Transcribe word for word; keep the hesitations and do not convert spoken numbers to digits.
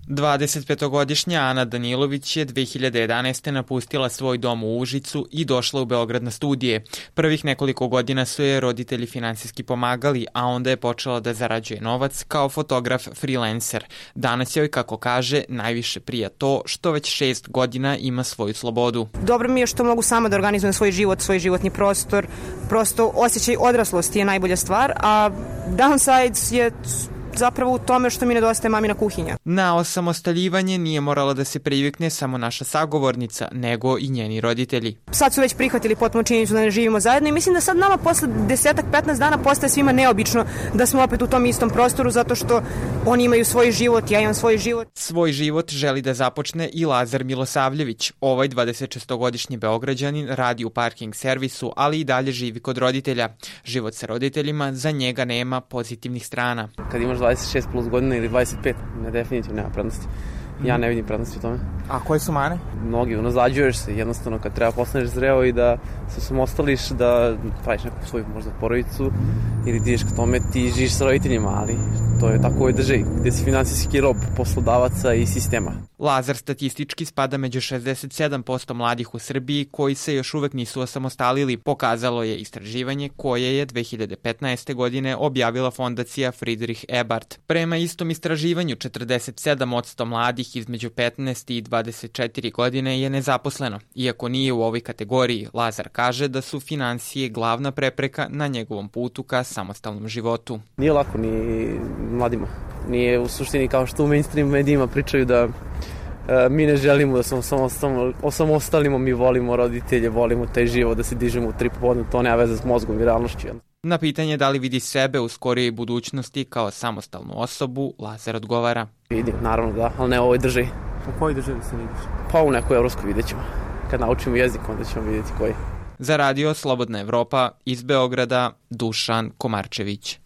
dvadesetpetogodišnja Ana Danilović je dve hiljade jedanaeste. napustila svoj dom u Užicu i došla u Beograd na studije. Prvih nekoliko godina su je roditelji finansijski pomagali, a onda je počela da zarađuje novac kao fotograf freelancer. Danas joj, kako kaže, najviše prija to što već šest godina ima svoju slobodu. Dobro mi je što mogu sama da organizujem svoj život, svoj životni prostor. Prosto osjećaj odraslosti je najbolja stvar, a downsides je zapravo u tome što mi nedostaje mamina kuhinja. Na osamostaljivanje nije morala da se privikne samo naša sagovornica, nego i njeni roditelji. Sad su već prihvatili potpuno činjenicu da ne živimo zajedno i mislim da sad nama posle desetak, petnaest dana postaje svima neobično da smo opet u tom istom prostoru, zato što oni imaju svoj život, ja imam svoj život. Svoj život želi da započne i Lazar Milosavljević. Ovaj dvadesetšestogodišnji Beograđanin radi u parking servisu, ali i dalje živi kod roditelja. Život sa roditeljima za njega nema pozitivnih strana. Kad imaš dvadeset šest plus godina ili dvadeset pet, ne, definitivno nema prednosti. Ja ne vidim prednosti u tome. A koje su mane? Mnogi, unazađuješ se jednostavno kad treba postaneš zreo i da se samostališ, da praviš neku svoju možda porodicu ili ti ideš k tome, ti živiš sa roditeljima, ali to je tako u državi gde si finansijski rob poslodavaca i sistema. Lazar statistički spada među šezdeset sedam posto mladih u Srbiji koji se još uvek nisu osamostalili, pokazalo je istraživanje koje je dve hiljade petnaeste. godine objavila fondacija Friedrich Ebert. Prema istom istraživanju, četrdeset sedam posto mladih između petnaest i dvadeset četiri godine je nezaposleno. Iako nije u ovoj kategoriji, Lazar kaže da su finansije glavna prepreka na njegovom putu ka samostalnom životu. Nije lako ni mladima. Nije u suštini kao što u mainstream medijima pričaju da e, mi ne želimo da smo samo osamostalimo, mi volimo roditelje, volimo taj život, da se dižemo u tri popodne, to nema veze s mozgom i realnošću. Na pitanje da li vidi sebe u skorijoj budućnosti kao samostalnu osobu, Lazar odgovara. Vidim, naravno da, ali ne u ovoj državi. U kojoj državi se vidiš? Pa u nekoj evropskoj vidjet ćemo. Kad naučimo jezik, onda ćemo vidjeti koji. Za radio Slobodna Evropa iz Beograda, Dušan Komarčević.